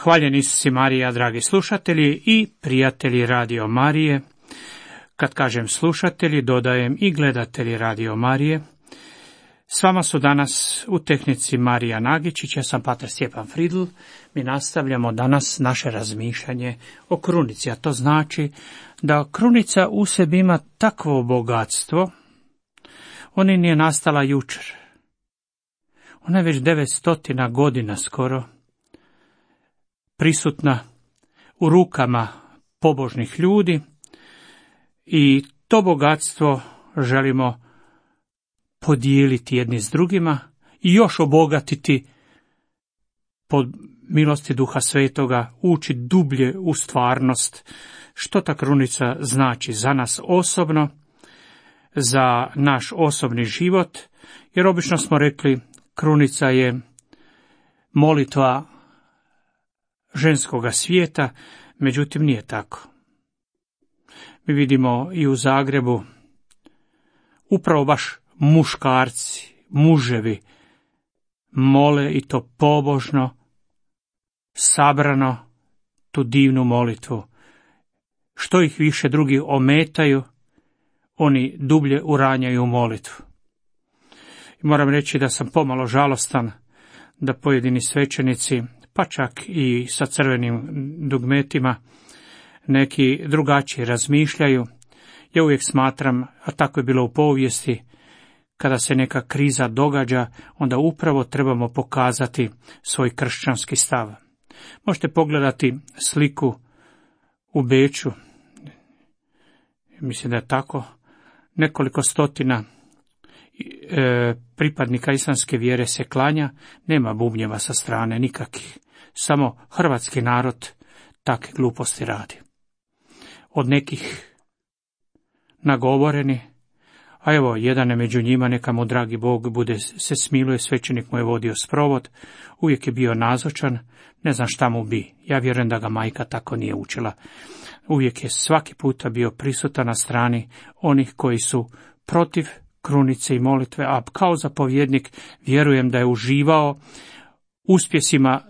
Hvaljen Isus i Marija, dragi slušatelji i prijatelji Radio Marije. Kad kažem slušatelji, dodajem i gledatelji Radio Marije. S vama su danas u tehnici Marija Nagičić, ja sam pater Stjepan Fridl. Mi nastavljamo danas naše razmišljanje o krunici, a to znači da krunica u sebi ima takvo bogatstvo, ona nije nastala jučer. Ona je već 900 godina skoro prisutna u rukama pobožnih ljudi i to bogatstvo želimo podijeliti jedni s drugima i još obogatiti pod milosti Duha Svetoga, ući dublje u stvarnost, što ta krunica znači za nas osobno, za naš osobni život, jer obično smo rekli krunica je molitva ženskoga svijeta, međutim nije tako. Mi vidimo i u Zagrebu upravo baš muškarci, muževi mole i to pobožno, sabrano tu divnu molitvu. Što ih više drugi ometaju, oni dublje uranjaju molitvu. I moram reći da sam pomalo žalostan da pojedini svećenici, pa čak i sa crvenim dugmetima, neki drugačije razmišljaju. Ja uvijek smatram, a tako je bilo u povijesti, kada se neka kriza događa, onda upravo trebamo pokazati svoj kršćanski stav. Možete pogledati sliku u Beču, mislim da je tako, nekoliko stotina pripadnika islamske vjere se klanja, nema bubnjeva sa strane nikakvih, samo hrvatski narod takve gluposti radi. Od nekih nagovoreni, a evo, jedan je među njima, neka mu dragi Bog bude se smiluje, svećenik mu je vodio sprovod, uvijek je bio nazočan, ne znam šta mu bi, ja vjerujem da ga majka tako nije učila. Uvijek je svaki puta bio prisutan na strani onih koji su protiv krunice i molitve, a kao zapovjednik vjerujem da je uživao uspjesima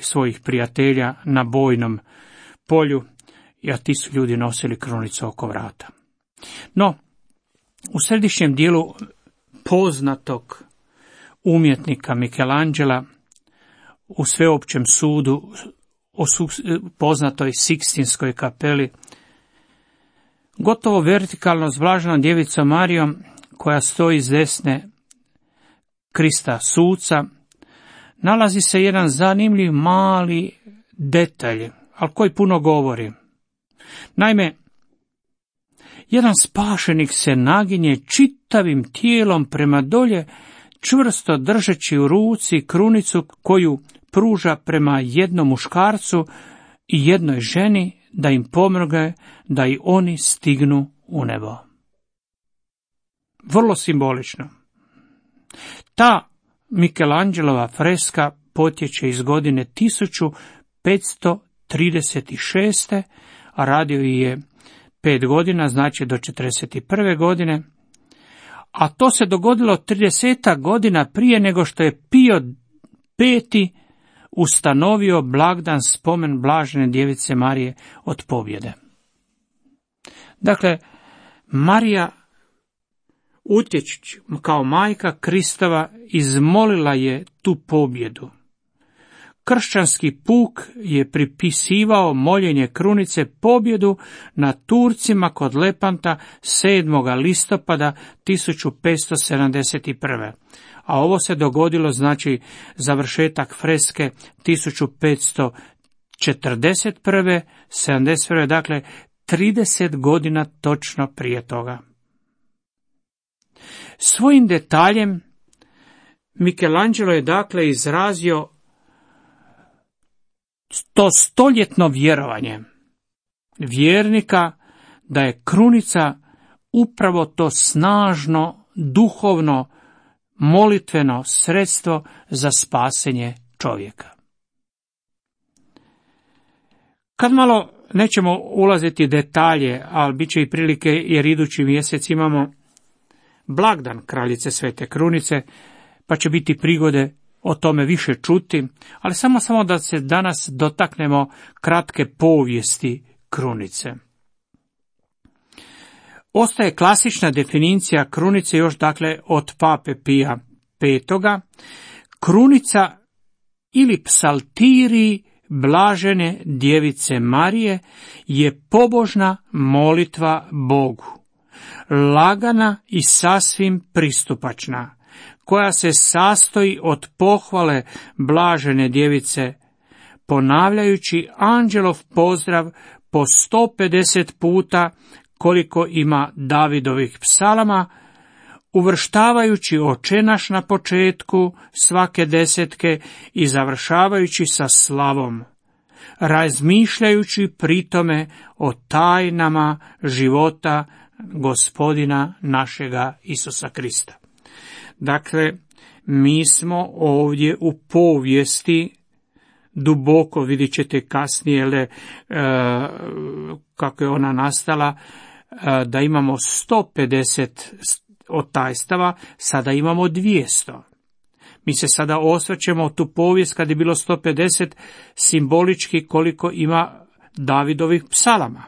svojih prijatelja na bojnom polju, a ti su ljudi nosili krunicu oko vrata. No, u središnjem dijelu poznatog umjetnika Michelangela, u sveopćem sudu o poznatoj Sikstinskoj kapeli, gotovo vertikalno s blaženom djevicom Marijom, koja stoji s desne Krista suca, nalazi se jedan zanimljiv mali detalj, ali koji puno govori. Naime, jedan spašenik se naginje čitavim tijelom prema dolje, čvrsto držeći u ruci krunicu koju pruža prema jednom muškarcu i jednoj ženi da im pomogne da i oni stignu u nebo. Vrlo simbolično. Ta Michelangelova freska potječe iz godine 1536. a radio je 5 godina, znači do 41. godine, a to se dogodilo 30 godina prije nego što je Pio V ustanovio blagdan spomen blažene djevice Marije od pobjede. Dakle, Marija, utječući kao majka Kristova, izmolila je tu pobjedu. Kršćanski puk je pripisivao moljenje krunice pobjedu na Turcima kod Lepanta 7. listopada 1571. A ovo se dogodilo, znači, završetak freske 1541. 71. Dakle, 30 godina točno prije toga. Svojim detaljem Michelangelo je dakle izrazio to stoljetno vjerovanje vjernika da je krunica upravo to snažno, duhovno, molitveno sredstvo za spasenje čovjeka. Kad malo nećemo ulaziti detalje, ali bit će i prilike jer idući mjesec imamo blagdan kraljice Svete Krunice, pa će biti prigode o tome više čuti, ali samo da se danas dotaknemo kratke povijesti krunice. Ostaje klasična definicija krunice još dakle od Pape Pija V. Krunica ili psaltirij blažene djevice Marije je pobožna molitva Bogu, lagana i sasvim pristupačna, koja se sastoji od pohvale blažene djevice, ponavljajući anđelov pozdrav po 150 puta koliko ima Davidovih psalama, uvrštavajući Oče naš na početku svake desetke i završavajući sa slavom, razmišljajući pritome o tajnama života Gospodina našega Isusa Krista. Dakle, mi smo ovdje u povijesti duboko, vidjet ćete kasnije kako je ona nastala, da imamo 150 otajstava, sada imamo 200. Mi se sada osvrćemo u tu povijest kad je bilo 150 simbolički koliko ima Davidovih psalama.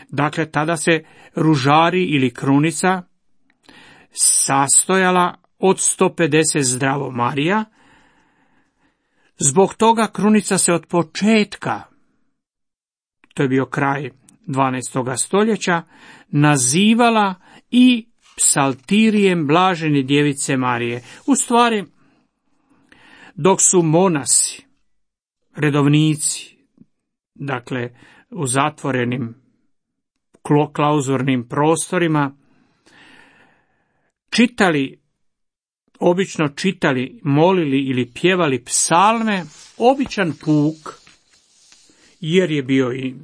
Dakle, tada se ružari ili krunica sastojala od 150 zdravo Marija. Zbog toga krunica se od početka, to je bio kraj 12. stoljeća, nazivala i psaltirijem blažene djevice Marije. U stvari, dok su monasi, redovnici, dakle u zatvorenim klauzurnim prostorima, obično čitali, molili ili pjevali psalme, običan puk, jer je bio i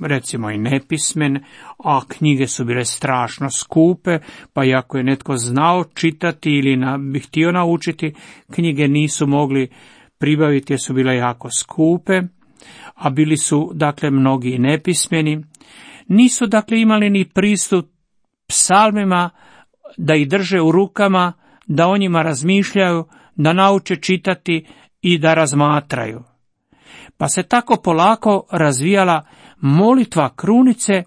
recimo i nepismen, a knjige su bile strašno skupe, pa i ako je netko znao čitati ili bi htio naučiti, knjige nisu mogli pribaviti jer su bile jako skupe, a bili su dakle mnogi nepismeni. Nisu dakle imali ni pristup psalmima da ih drže u rukama, da o njima razmišljaju, da nauče čitati i da razmatraju. Pa se tako polako razvijala molitva krunice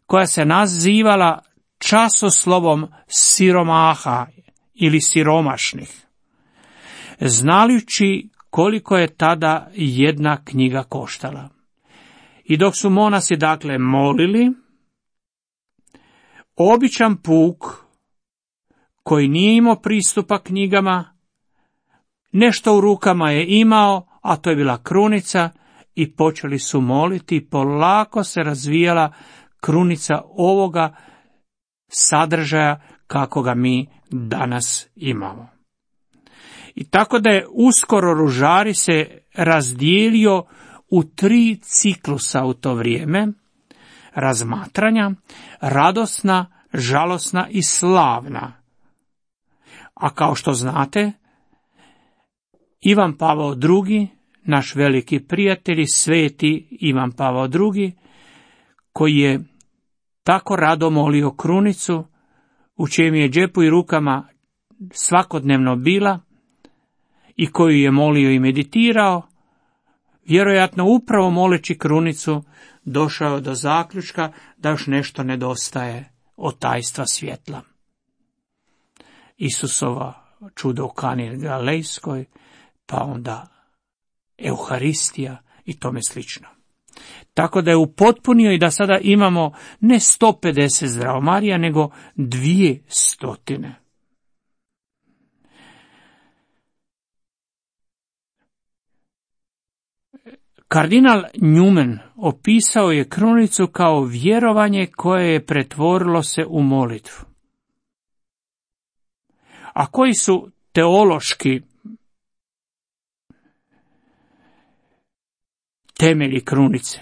koja se nazivala časoslovom siromaha ili siromašnih, znajući koliko je tada jedna knjiga koštala. I dok su monasi dakle molili, običan puk koji nije imao pristupa knjigama, nešto u rukama je imao, a to je bila krunica, i počeli su moliti i polako se razvijala krunica ovoga sadržaja kako ga mi danas imamo. I tako da je uskoro ružari se razdijelio u 3 ciklusa u to vrijeme: razmatranja, radosna, žalosna i slavna. A kao što znate, Ivan Pavao II, naš veliki prijatelj, sveti Ivan Pavao II, koji je tako rado molio krunicu, u čijem je džepu i rukama svakodnevno bila i koju je molio i meditirao, vjerojatno upravo moleći krunicu došao do zaključka da još nešto nedostaje od tajstva svjetla. Isusova čudo u Kani Galilejskoj, pa onda Euharistija i tome slično. Tako da je upotpunio i da sada imamo ne 150 zdravo Marija, nego 200. Kardinal Newman opisao je krunicu kao vjerovanje koje je pretvorilo se u molitvu. A koji su teološki temelji krunice?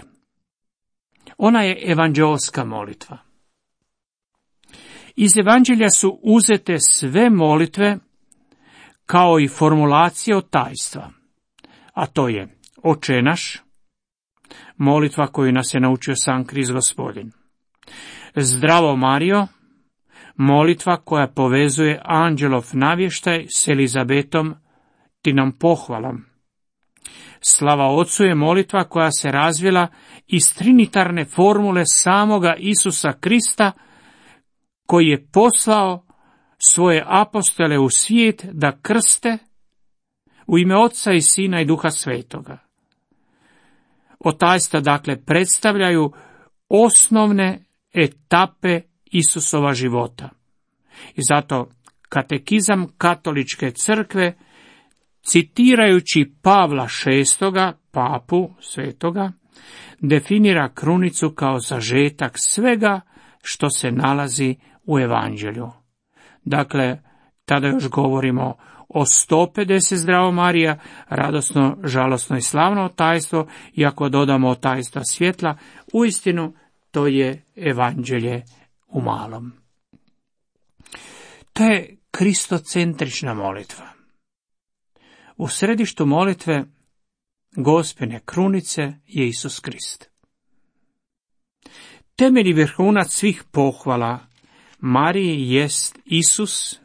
Ona je evanđeoska molitva. Iz evanđelja su uzete sve molitve kao i formulacije od tajstva, a to je Oče naš, molitva koju nas je naučio sam Krist Gospodin; Zdravo Marijo, molitva koja povezuje anđelov navještaj s Elizabetom Tinom pohvalom. Slava Otcu je molitva koja se razvila iz trinitarne formule samoga Isusa Krista, koji je poslao svoje apostole u svijet da krste u ime Oca i Sina i Duha Svetoga. Otajstva dakle predstavljaju osnovne etape Isusova života. I zato katekizam katoličke crkve, citirajući Pavla VI, papu svetoga, definira krunicu kao sažetak svega što se nalazi u evanđelju. Dakle, tada još govorimo o 150 zdravo Marija, radosno, žalosno i slavno tajstvo, i ako dodamo tajstva svjetla, uistinu to je evanđelje u malom. To je kristocentrična molitva. U središtu molitve Gospine krunice je Isus Krist. Temelj i vrhunac svih pohvala Mariji jest Isus,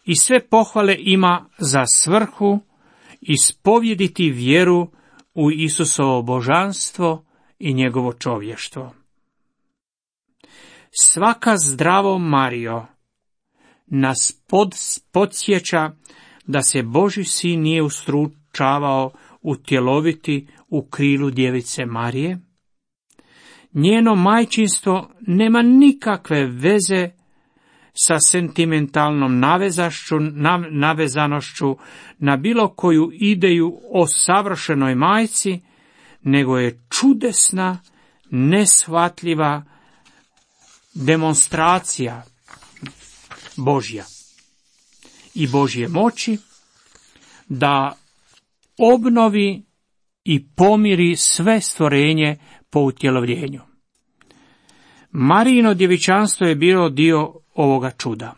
i sve pohvale ima za svrhu ispovjediti vjeru u Isusovo božanstvo i njegovo čovještvo. Svaka zdravo Marijo nas podsjeća da se Božji sin nije ustručavao utjeloviti u krilu djevice Marije. Njeno majčinstvo nema nikakve veze sa sentimentalnom navezanošću na bilo koju ideju o savršenoj majci, nego je čudesna, neshvatljiva demonstracija Božja i Božje moći da obnovi i pomiri sve stvorenje po utjelovljenju. Marijino djevičanstvo je bilo dio ovoga čuda.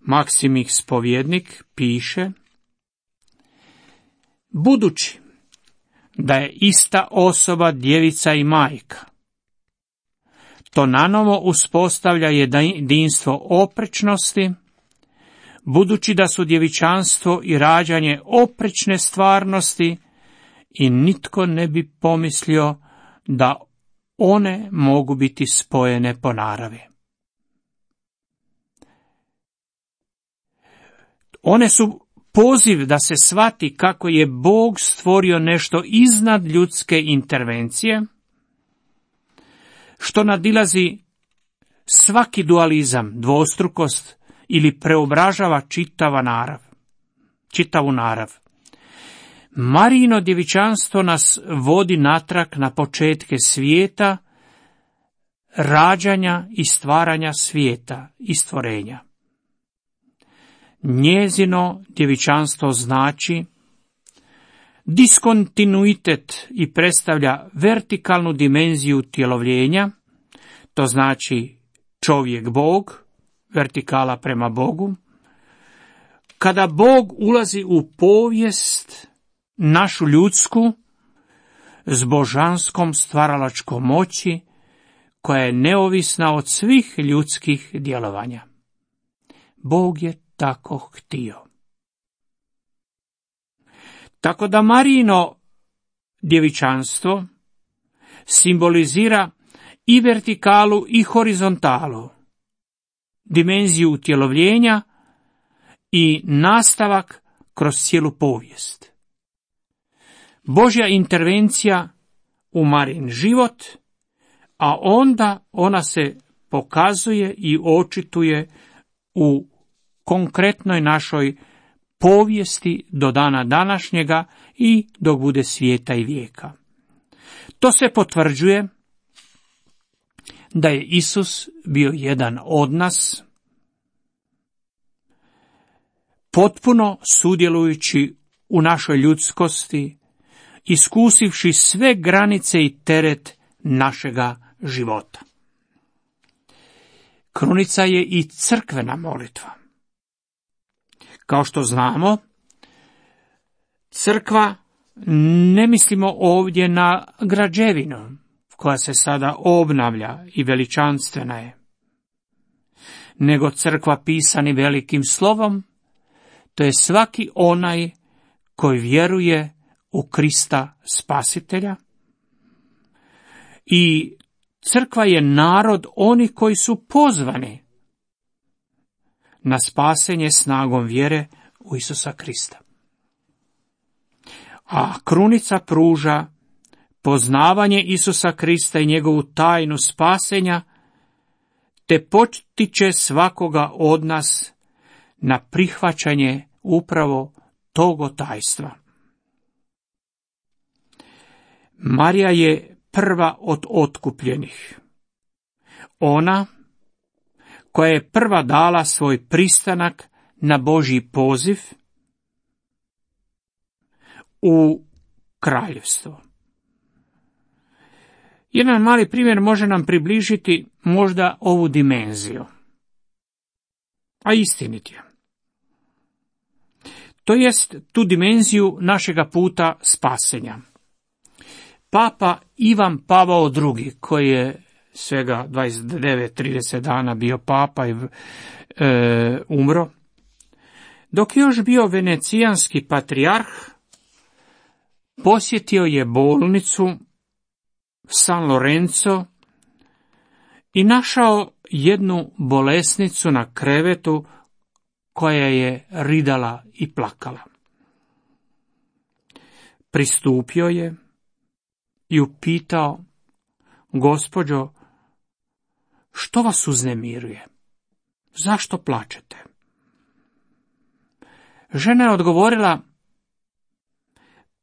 Maksimih Spovjednik piše: budući da je ista osoba djevica i majka, to nanovo uspostavlja jedinstvo oprečnosti, budući da su djevičanstvo i rađanje oprečne stvarnosti i nitko ne bi pomislio da one mogu biti spojene po naravi. One su poziv da se shvati kako je Bog stvorio nešto iznad ljudske intervencije, što nadilazi svaki dualizam, dvostrukost ili preobražava čitavu narav. Marijino djevičanstvo nas vodi natrag na početke svijeta, rađanja i stvaranja svijeta i stvorenja. Njezino djevičanstvo znači diskontinuitet i predstavlja vertikalnu dimenziju tjelovljenja, to znači čovjek Bog, vertikala prema Bogu. Kada Bog ulazi u povijest našu ljudsku s božanskom stvaralačkom moći, koja je neovisna od svih ljudskih djelovanja. Bog je tako htio. Tako da Marijino djevičanstvo simbolizira i vertikalu i horizontalu, dimenziju utjelovljenja i nastavak kroz cijelu povijest. Božja intervencija u Marijin život, a onda ona se pokazuje i očituje u konkretnoj našoj povijesti do dana današnjega i dok bude svijeta i vijeka. To se potvrđuje da je Isus bio jedan od nas, potpuno sudjelujući u našoj ljudskosti, iskusivši sve granice i teret našega života. Krunica je i crkvena molitva. Kao što znamo, crkva, ne mislimo ovdje na građevinu koja se sada obnavlja i veličanstvena je, nego crkva pisani velikim slovom, to je svaki onaj koji vjeruje u Krista Spasitelja. I crkva je narod oni koji su pozvani na spasenje snagom vjere u Isusa Krista. A krunica pruža poznavanje Isusa Krista i njegovu tajnu spasenja, te potiče svakoga od nas na prihvaćanje upravo tog tajstva. Marija je prva od otkupljenih. Ona koja je prva dala svoj pristanak na Božji poziv u kraljevstvo. Jedan mali primjer može nam približiti možda ovu dimenziju, a istinit je. To jest tu dimenziju našega puta spasenja. Papa Ivan Pavao II, koji je svega 29-30 dana bio papa i umro, dok je još bio venecijanski patrijarh, posjetio je bolnicu San Lorenzo i našao jednu bolesnicu na krevetu koja je ridala i plakala. Pristupio je i upitao: gospođo, što vas uznemiruje? Zašto plačete? Žena je odgovorila: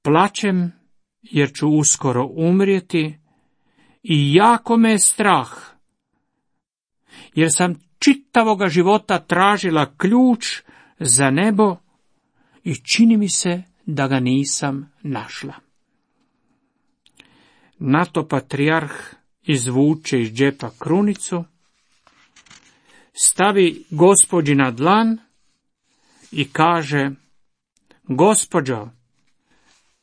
plačem jer ću uskoro umrijeti i jako me je strah, jer sam čitavoga života tražila ključ za nebo i čini mi se da ga nisam našla. Na to patrijarh izvuče iz džepa krunicu, stavi gospođi na dlan i kaže: gospođo,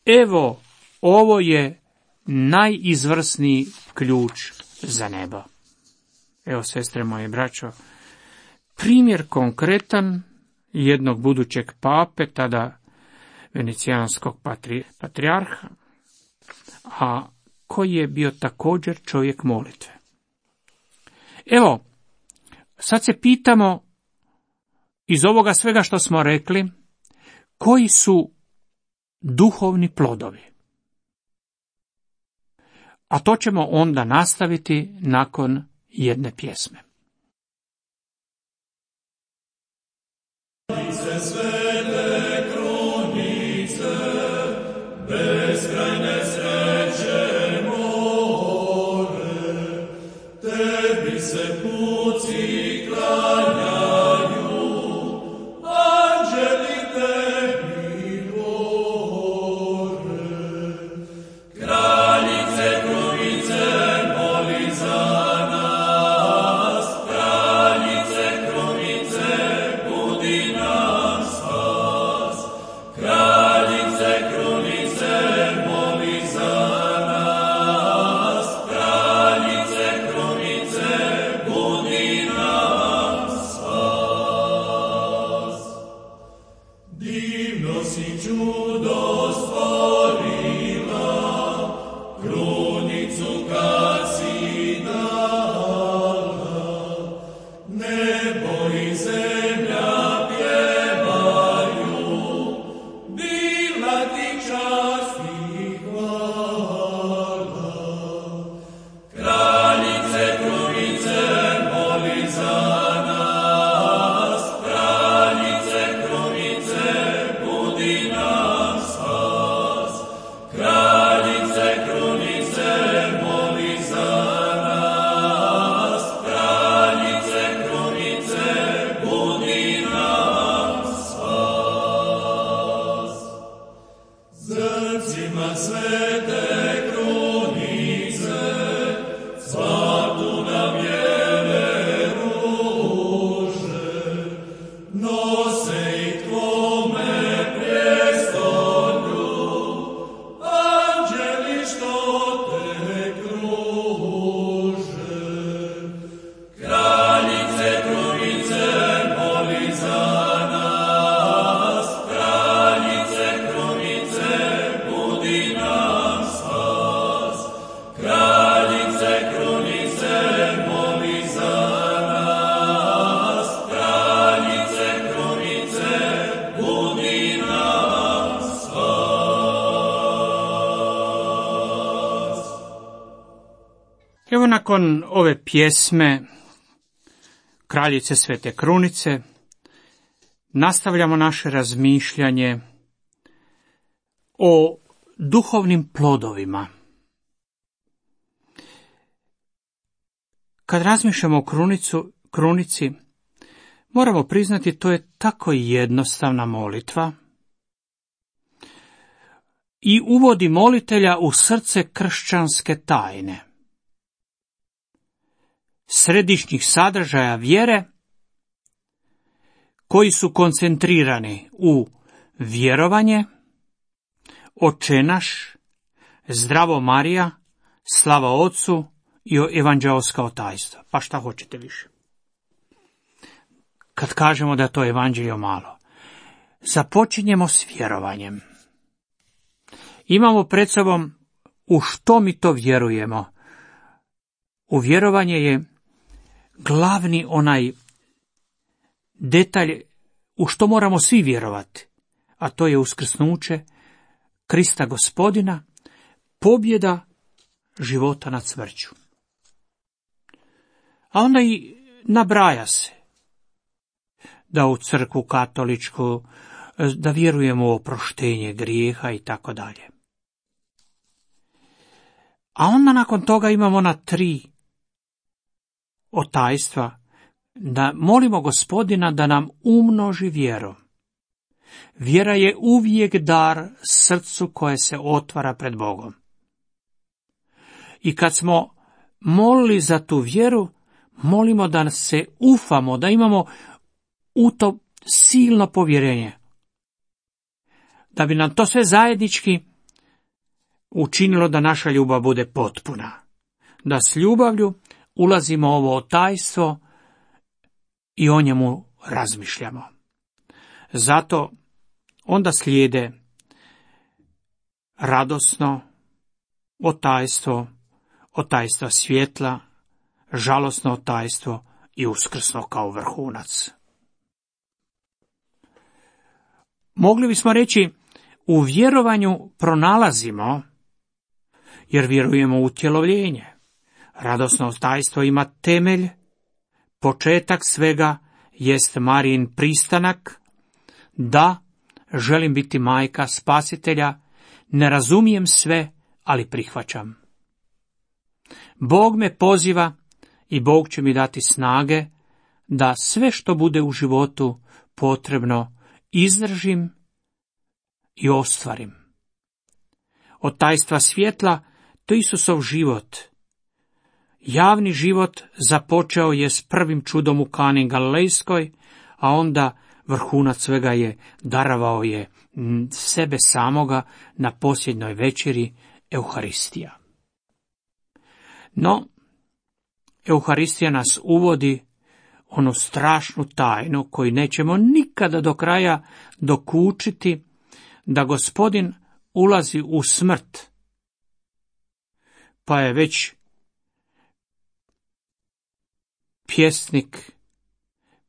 evo, ovo je najizvrsniji ključ za nebo. Evo, sestre moje, braćo, primjer konkretan jednog budućeg pape, tada venecijanskog patrijarha, a koji je bio također čovjek molitve. Evo, sad se pitamo iz ovoga svega što smo rekli, koji su duhovni plodovi. A to ćemo onda nastaviti nakon jedne pjesme. Kraljice krunice, budi nas. Evo nakon ove pjesme Kraljice Svete Krunice nastavljamo naše razmišljanje o duhovnim plodovima. Kad razmišljamo o krunici, moramo priznati, to je tako jednostavna molitva i uvodi molitelja u srce kršćanske tajne, središnjih sadržaja vjere koji su koncentrirani u vjerovanje, Oče naš, Zdravo Marija, Slava Otcu i evanđeoska tajstva. Pa šta hoćete više? Kad kažemo da je to evanđelje malo, započinjemo s vjerovanjem. Imamo pred sobom u što mi to vjerujemo. U vjerovanje je glavni onaj detalj u što moramo svi vjerovati, a to je uskrsnuće Krista Gospodina, pobjeda života nad smrću. A onda i nabraja se da u crkvu katoličku, da vjerujemo u oproštenje grijeha i tako dalje. A onda nakon toga imamo ona 3 otajstva, da molimo Gospodina da nam umnoži vjeru. Vjera je uvijek dar srcu koje se otvara pred Bogom. I kad smo molili za tu vjeru, molimo da se ufamo, da imamo u to silno povjerenje. Da bi nam to sve zajednički učinilo da naša ljubav bude potpuna. Da s ljubavlju ulazimo u ovo tajstvo i o njemu razmišljamo. Zato onda slijede radosno otajstvo svjetla, žalosno otajstvo i uskrsno kao vrhunac. Mogli bismo reći, u vjerovanju pronalazimo, jer vjerujemo u utjelovljenje. Radosno otajstvo ima temelj, početak svega jest Marijin pristanak, da želim biti majka spasitelja, ne razumijem sve, ali prihvaćam. Bog me poziva i Bog će mi dati snage da sve što bude u životu potrebno izdržim i ostvarim. Od tajstva svjetla to Isusov život. Javni život započeo je s prvim čudom u Kani Galilejskoj, a onda vrhunac svega je darovao je sebe samoga na posljednjoj večeri, Euharistija. No, Euharistija nas uvodi onu strašnu tajnu koju nećemo nikada do kraja dokučiti, da Gospodin ulazi u smrt. Pa je već pjesnik,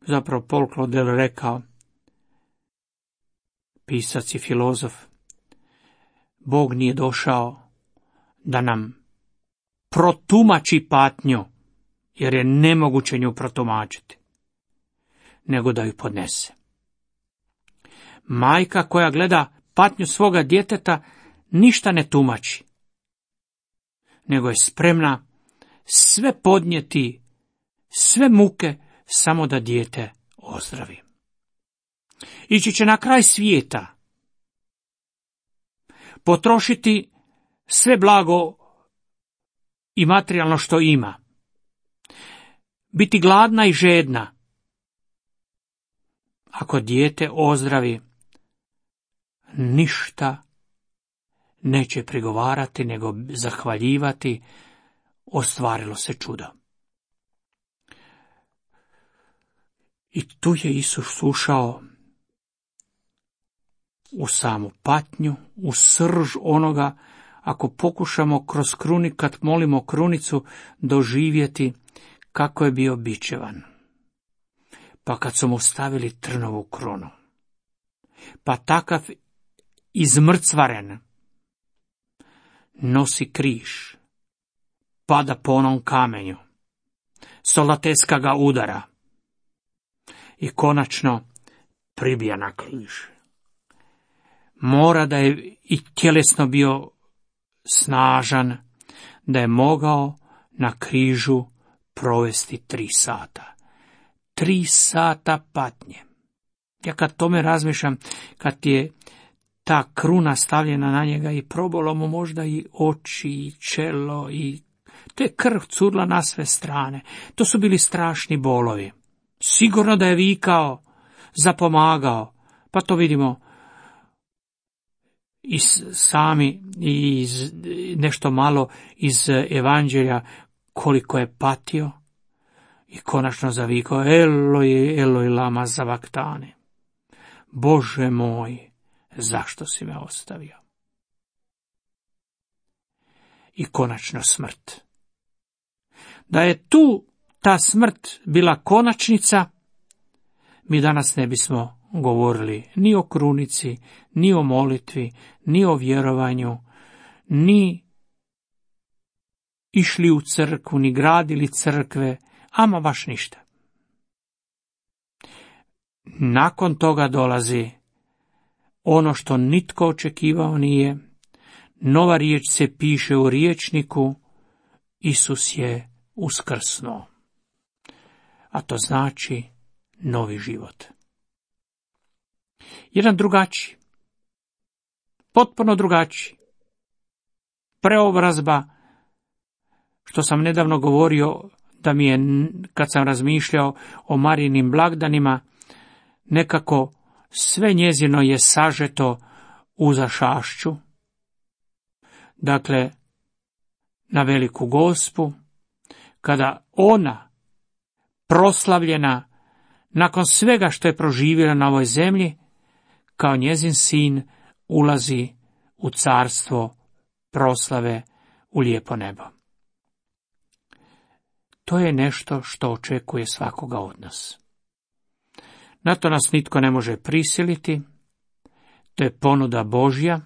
zapravo Paul Claudel rekao, pisac i filozof, Bog nije došao da nam protumači patnju, jer je nemoguće nju protumačiti, nego da ju podnese. Majka koja gleda patnju svoga djeteta ništa ne tumači, nego je spremna sve podnijeti, sve muke, samo da dijete ozdravi. Ići će na kraj svijeta, potrošiti sve blago i materijalno što ima, biti gladna i žedna. Ako dijete ozdravi, ništa neće prigovarati, nego zahvaljivati, ostvarilo se čudo. I tu je Isus ušao u samu patnju, u srž onoga, ako pokušamo kroz kad molimo krunicu, doživjeti kako je bio bičevan. Pa kad su mu stavili trnovu krunu, pa takav izmrcvaren nosi križ, pada po onom kamenju. Solateska ga udara. I konačno pribija na križ. Mora da je i tjelesno bio snažan, da je mogao na križu provesti 3 sata. 3 sata patnje. Ja kad tome razmišljam, kad je ta kruna stavljena na njega i probolo mu možda i oči i čelo i te krv curla na sve strane. To su bili strašni bolovi. Sigurno da je vikao, zapomagao. Pa to vidimo i sami i nešto malo iz evanđelja koliko je patio i konačno zavikao Eloi, Eloi lama zavaktane. Bože moj, zašto si me ostavio? I konačno smrt. Da je tu ta smrt bila konačnica, mi danas ne bismo govorili ni o krunici, ni o molitvi, ni o vjerovanju, ni išli u crkvu, ni gradili crkve, ama baš ništa. Nakon toga dolazi ono što nitko očekivao nije. Nova riječ se piše u riječniku, Isus je uskrsnuo. A to znači novi život. Jedan drugačiji, potpuno drugačiji. Preobrazba, što sam nedavno govorio, da mi je, kad sam razmišljao o Marijinim blagdanima, nekako sve njezino je sažeto u zašašću. Dakle, na Veliku Gospu, kada ona, proslavljena, nakon svega što je proživjela na ovoj zemlji, kao njezin sin ulazi u carstvo proslave u lijepo nebo. To je nešto što očekuje svakoga od nas. Na to nas nitko ne može prisiliti, to je ponuda Božja,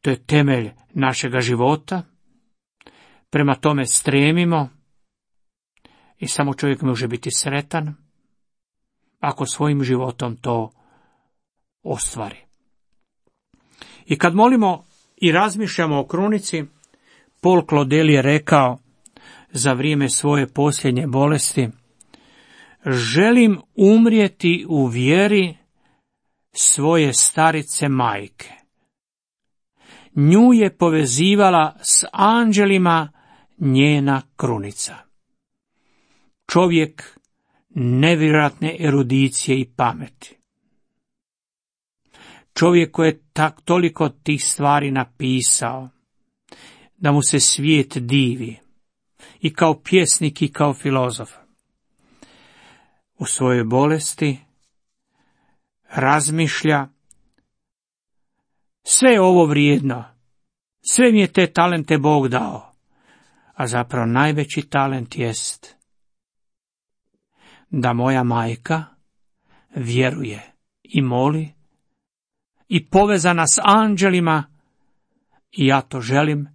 to je temelj našega života, prema tome stremimo i samo čovjek može biti sretan ako svojim životom to ostvari. I kad molimo i razmišljamo o krunici, Paul Claudel je rekao za vrijeme svoje posljednje bolesti: želim umrijeti u vjeri svoje starice majke. Nju je povezivala s anđelima njena krunica. Čovjek nevjerojatne erudicije i pameti. Čovjek koji je toliko tih stvari napisao, da mu se svijet divi, i kao pjesnik i kao filozof. U svojoj bolesti razmišlja: sve je ovo vrijedno, sve mi je te talente Bog dao, a zapravo najveći talent jest da moja majka vjeruje i moli i povezana s anđelima, i ja to želim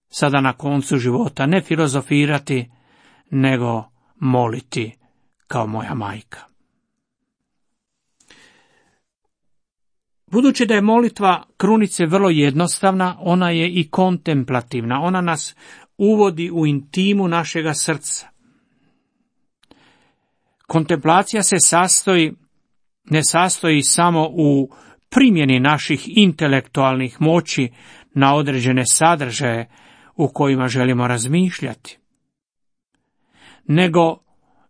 sada na koncu života ne filozofirati, nego moliti kao moja majka. Budući da je molitva krunice vrlo jednostavna, ona je i kontemplativna, ona nas uvodi u intimu našega srca. Kontemplacija se ne sastoji samo u primjeni naših intelektualnih moći na određene sadržaje u kojima želimo razmišljati, nego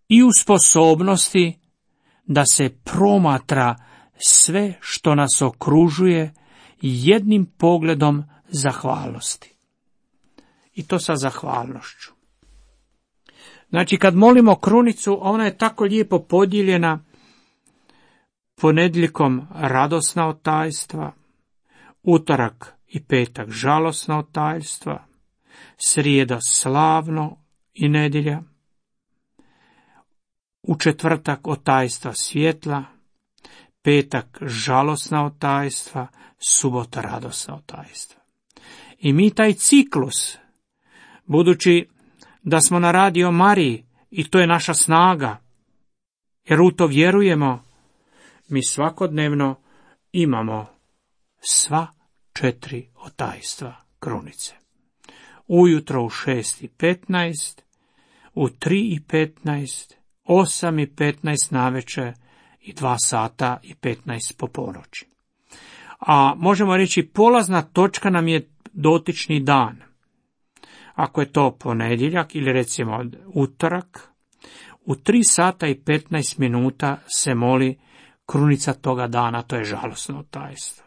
i u sposobnosti da se promatra sve što nas okružuje jednim pogledom zahvalnosti. I to sa zahvalnošću. Znači, kad molimo krunicu, ona je tako lijepo podijeljena: ponedjeljkom radosna od tajstva, utorak i petak žalosna od tajstva, srijeda slavno i nedjelja, u četvrtak od tajstva svjetla, petak žalosna od tajstva, subota radosna od tajstva. I mi taj ciklus Budući da smo na radio Mariji i to je naša snaga, jer u to vjerujemo, mi svakodnevno imamo sva 4 otajstva krunice. Ujutro u 6:15, u 3:15, 8:15 navečer i 2:15 po ponoći. A možemo reći polazna točka nam je dotični dan. Ako je to ponedjeljak ili recimo utorak, u 3:15 se moli krunica toga dana, to je žalosno tajstvo.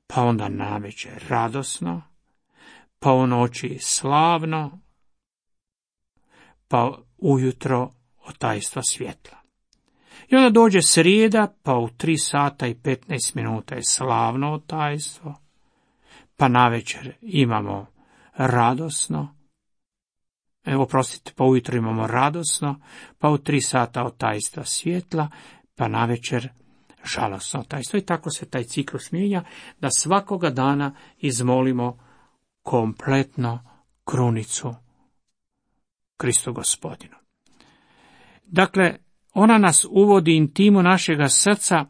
Pa onda navečer radosno, pa u noći slavno, pa ujutro otajstva svjetla. I onda dođe srijeda, pa u 3:15 je slavno otajstvo, pa navečer imamo radosno, pa ujutro imamo radosno, pa u 3 otajstva svjetla, pa navečer žalosno otajstvo. I tako se taj ciklus mijenja, da svakoga dana izmolimo kompletno krunicu Kristu Gospodinu. Dakle, ona nas uvodi intimu našega srca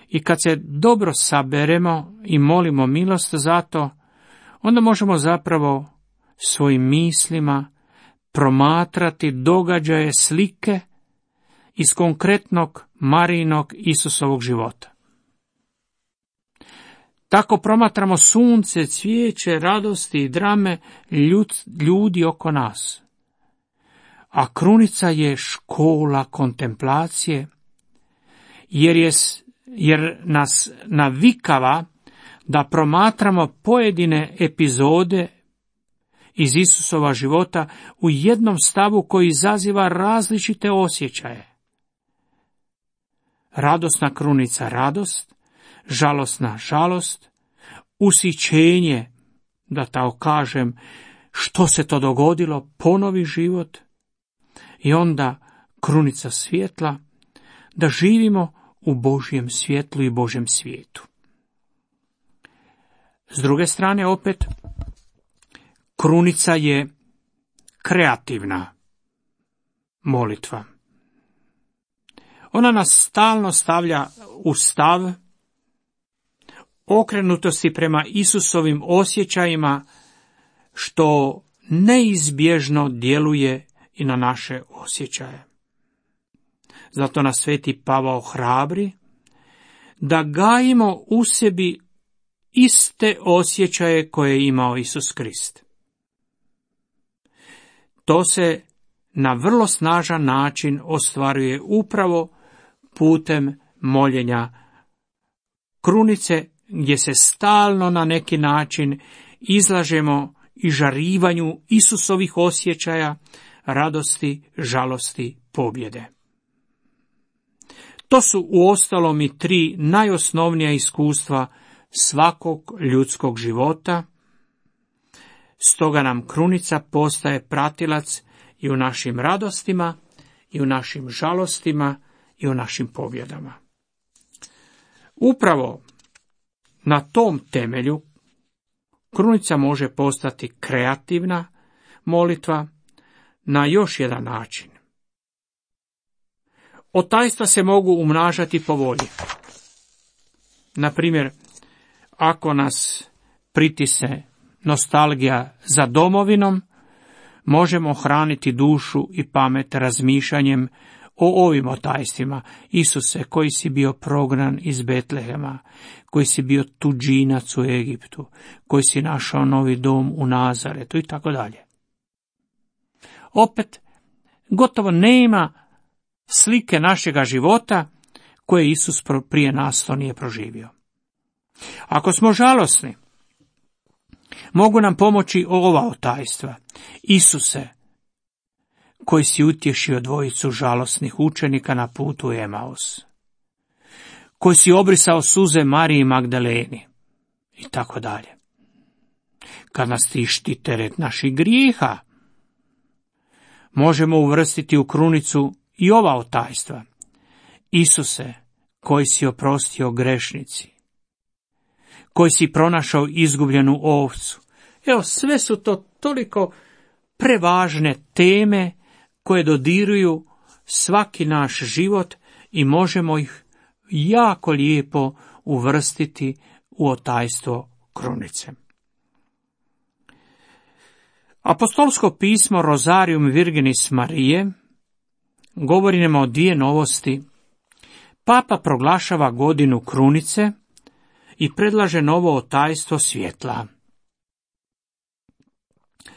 i kad se dobro saberemo i molimo milost za to, onda možemo zapravo svojim mislima promatrati događaje, slike iz konkretnog Marijinog Isusovog života. Tako promatramo sunce, cvijeće, radosti i drame ljudi oko nas. A krunica je škola kontemplacije, jer nas navikava da promatramo pojedine epizode iz Isusova života u jednom stavu koji izaziva različite osjećaje. Radosna krunica radost, žalosna žalost, usićenje, da tako kažem, što se to dogodilo, ponovi život, i onda krunica svjetla, da živimo u Božjem svjetlu i Božjem svijetu. S druge strane opet, krunica je kreativna molitva. Ona nas stalno stavlja u stav okrenutosti prema Isusovim osjećajima, što neizbježno djeluje i na naše osjećaje. Zato nas sveti Pavao hrabri da gajimo u sebi iste osjećaje koje je imao Isus Krist. To se na vrlo snažan način ostvaruje upravo putem moljenja krunice, gdje se stalno na neki način izlažemo i žarivanju Isusovih osjećaja, radosti, žalosti, pobjede. To su uostalom i 3 najosnovnija iskustva svakog ljudskog života, stoga nam krunica postaje pratilac i u našim radostima, i u našim žalostima, i u našim pobjedama. Upravo na tom temelju krunica može postati kreativna molitva na još jedan način. Otajstva se mogu umnažati po volji. Na primjer, ako nas pritisne nostalgija za domovinom, možemo hraniti dušu i pamet razmišljanjem o ovim otajstvima. Isuse, koji si bio prognan iz Betlehema, koji si bio tuđinac u Egiptu, koji si našao novi dom u Nazaretu i tako dalje. Opet, gotovo nema slike našega života koje Isus prije nas to nije proživio. Ako smo žalosni, mogu nam pomoći ova otajstva. Isuse, koji si utješio 2 žalosnih učenika na putu u Emaus, koji si obrisao suze Mariji Magdaleni i tako dalje. Kad nas tišti teret naših grijeha, možemo uvrstiti u krunicu i ova otajstva. Isuse, koji si oprostio grešnici, koji si pronašao izgubljenu ovcu Evo, sve su to toliko prevažne teme koje dodiruju svaki naš život i možemo ih jako lijepo uvrstiti u otajstvo krunice. Apostolsko pismo Rosarium Virginis Marije govori nam o dvije novosti. Papa proglašava godinu krunice i predlaže novo otajstvo svjetla.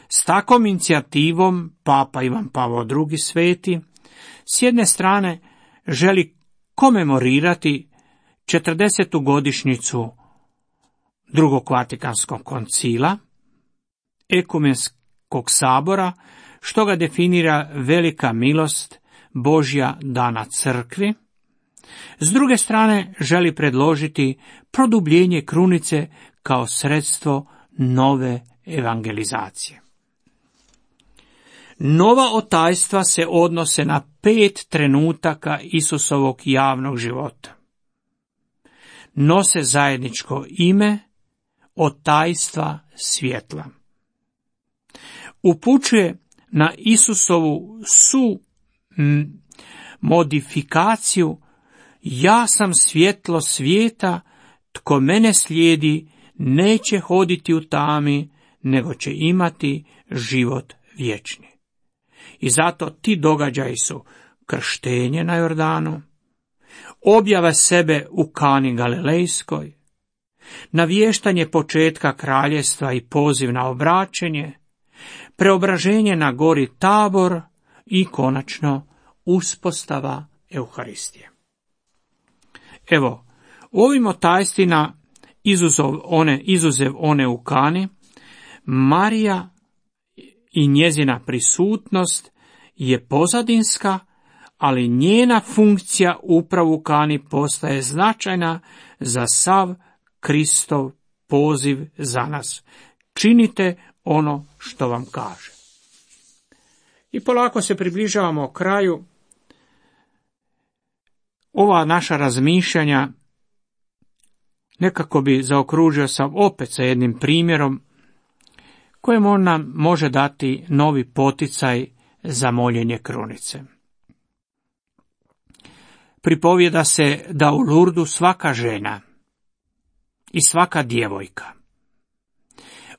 S takvom inicijativom Papa Ivan Pavao II. Sveti s jedne strane želi komemorirati 40. godišnjicu Drugog Vatikanskog koncila, Ekumenskog sabora, što ga definira velika milost Božja dana crkvi. S druge strane želi predložiti produbljenje krunice kao sredstvo nove evangelizacije. Nova otajstva se odnose na 5 trenutaka Isusovog javnog života. Nose zajedničko ime otajstva svjetla. Upućuje na Isusovu modifikaciju: ja sam svjetlo svijeta, tko mene slijedi neće hoditi u tami, nego će imati život vječni. I zato ti događaji su krštenje na Jordanu, objava sebe u Kani Galilejskoj, navještanje početka kraljevstva i poziv na obraćenje, preobraženje na gori Tabor i konačno uspostava Euharistije. Evo, u ovim otajstvima izuzev one u Kani, Marija i njezina prisutnost je pozadinska, ali njena funkcija upravo u Kani postaje značajna za sav Kristov poziv za nas. Činite ono što vam kaže. I polako se približavamo kraju. Ova naša razmišljanja nekako bi zaokružio sam opet sa jednim primjerom kojem on nam može dati novi poticaj za moljenje krunice. Pripovijeda se da u Lurdu svaka žena i svaka djevojka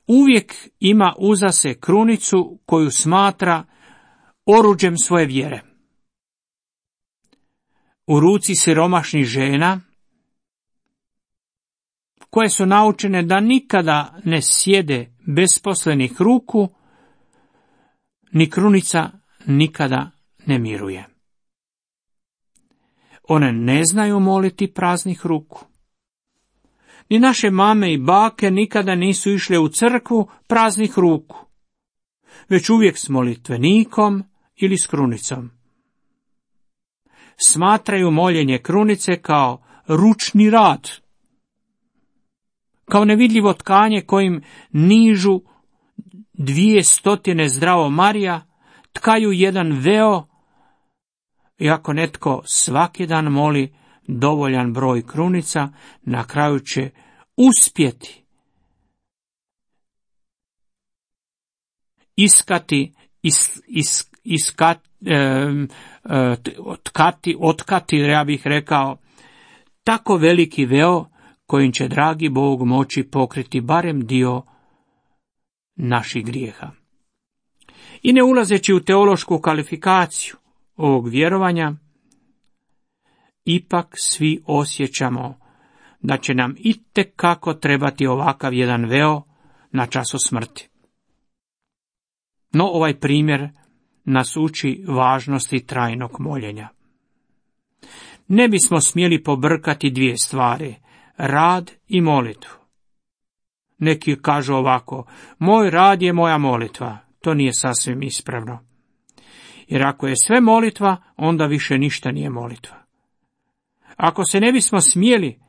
uvijek ima uza se krunicu koju smatra oruđem svoje vjere. U ruci siromašnih žena, koje su naučene da nikada ne sjede besposlenih ruku, ni krunica nikada ne miruje. One ne znaju moliti praznih ruku. Ni naše mame i bake nikada nisu išle u crkvu praznih ruku, već uvijek s molitvenikom ili s krunicom. Smatraju moljenje krunice kao ručni rad, kao nevidljivo tkanje kojim nižu 200 zdravo Marija, tkaju jedan veo, i ako netko svaki dan moli dovoljan broj krunica, na kraju će uspjeti otkati, ja bih rekao, tako veliki veo kojim će dragi Bog moći pokriti barem dio naših grijeha. I ne ulazeći u teološku kvalifikaciju ovog vjerovanja, ipak svi osjećamo da će nam itekako trebati ovakav jedan veo na času smrti. No ovaj primjer nas uči važnosti trajnog moljenja. Ne bismo smjeli pobrkati dvije stvari, rad i molitvu. Neki kažu ovako: moj rad je moja molitva. To nije sasvim ispravno. Jer ako je sve molitva, onda više ništa nije molitva. Ako se ne bismo smjeli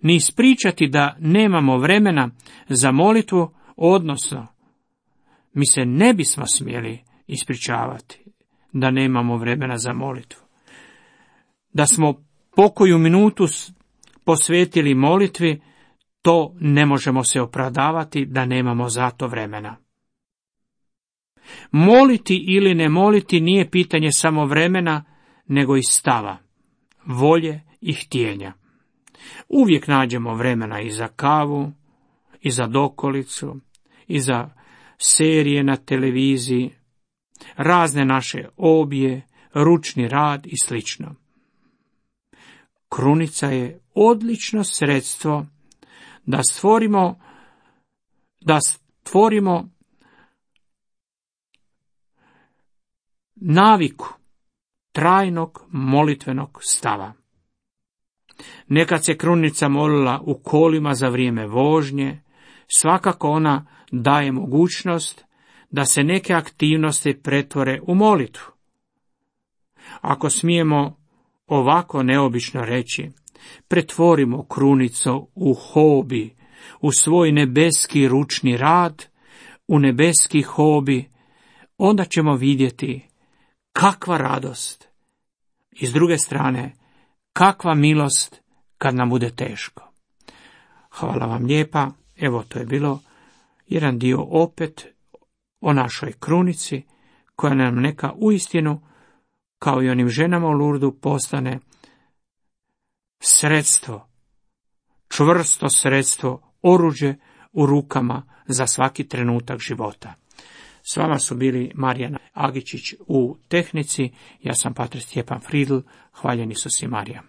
ni ispričati da nemamo vremena za molitvu, odnosno mi se ne bismo smjeli ispričavati da nemamo vremena za molitvu, da smo pokoju minutu posvetili molitvi, to ne možemo se opravdavati da nemamo za to vremena. Moliti ili ne moliti nije pitanje samo vremena, nego i stava, volje i htjenja. Uvijek nađemo vremena i za kavu, i za dokolicu, i za serije na televiziji, razne naše obje, ručni rad i sl. Krunica je odlično sredstvo da stvorimo naviku trajnog molitvenog stava. Nekad se krunica molila u kolima za vrijeme vožnje, svakako ona daje mogućnost da se neke aktivnosti pretvore u molitvu. Ako smijemo ovako neobično reći, pretvorimo krunicu u hobi, u svoj nebeski ručni rad, u nebeski hobi, onda ćemo vidjeti kakva radost i s druge strane kakva milost kad nam bude teško. Hvala vam lijepa, evo to je bilo jedan dio opet o našoj krunici, koja nam neka uistinu, kao i onim ženama u Lurdu, postane sredstvo, čvrsto sredstvo, oruđe u rukama za svaki trenutak života. S vama su bili Marijana Agičić u tehnici, ja sam Pater Stjepan Fridl, hvaljen Isus i Marija.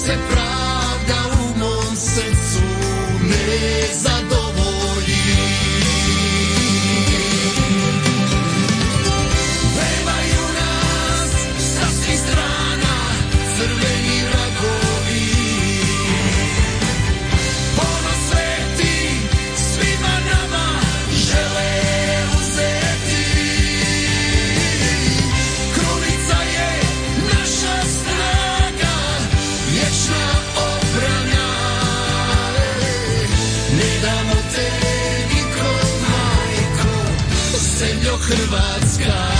se pravda u mom srcu ne zadovolji. Pevaju nas sa svih strana crveni vragovi, ponos sveti svima nama žele uzeti. Krunica je naša snaga, vječna obrana, ne damo te niko, majko, zemljo Hrvatska.